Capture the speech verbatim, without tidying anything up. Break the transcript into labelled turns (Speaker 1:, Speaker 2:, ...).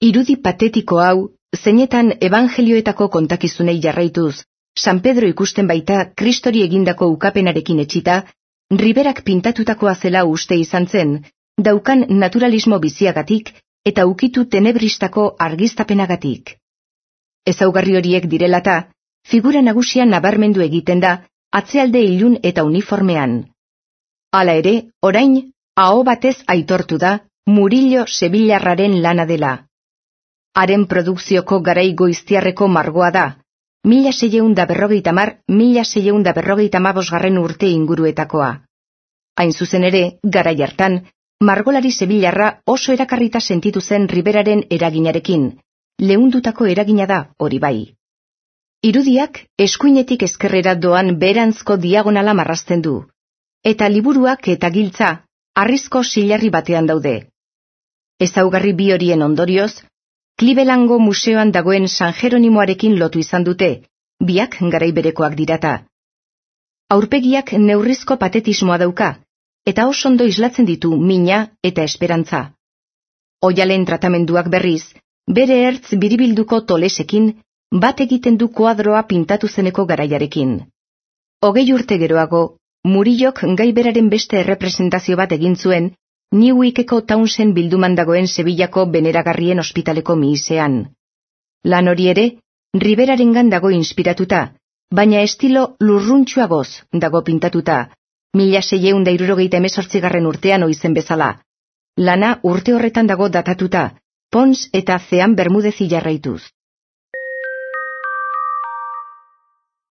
Speaker 1: Irudi patetiko hau, zeinetan evangelioetako kontakizunei jarraituz, San Pedro ikusten baita Kristori egindako ukapenarekin etxita, Riberak pintatutakoa zela uste izan zen, daukan naturalismo biziagatik eta ukitu tenebristako argiztapenagatik. Ezaugarri horiek direlata, figura nagusia nabarmendu egiten da, atzealde ilun eta uniformean. Hala ere, orain, aho batez aitortu da, Murillo Sevillarraren lana dela. Haren produkzioko garai goiztiarreko margoa da, mila seiehun da berrogeita hamar, mila seiehun da berrogeita hamabosgarren urte inguruetakoa. Hain zuzen ere, garai hartan, margolari Sevillarra oso erakarrita sentitu zen Riberaren eraginarekin, leundutako eragina da, hori bai. Irudiak eskuinetik ezkerrera doan beheranzko diagonala marrazten du, eta liburuak eta giltza harrizko silarri batean daude. Ezaugarri bi horien ondorioz, Clevelandgo museoan dagoen San Jeronimoarekin lotu izan dute, biak garai berekoak dirata. Aurpegiak neurrizko patetismoa dauka, eta oso ondo islatzen ditu mina eta esperantza. Oialen tratamenduak berriz, bere ertz biribilduko tolesekin, bat egiten du koadroa pintatu zeneko garaiarekin. Hogei urte geroago, Murillok gai beraren beste errepresentazio bat egin zuen, Newwickeko Townsend bilduman dagoen Sevillako Beneragarrien ospitaleko mihisean. Lan hori ere, Riberarengan dago inspiratuta, baina estilo lurruntxuagoz dago pintatuta, mila seiehun da hirurogeita hemezortzigarren urtean oizen bezala. Lana urte horretan dago datatuta, Pons eta Zean Bermudezi jarraituz.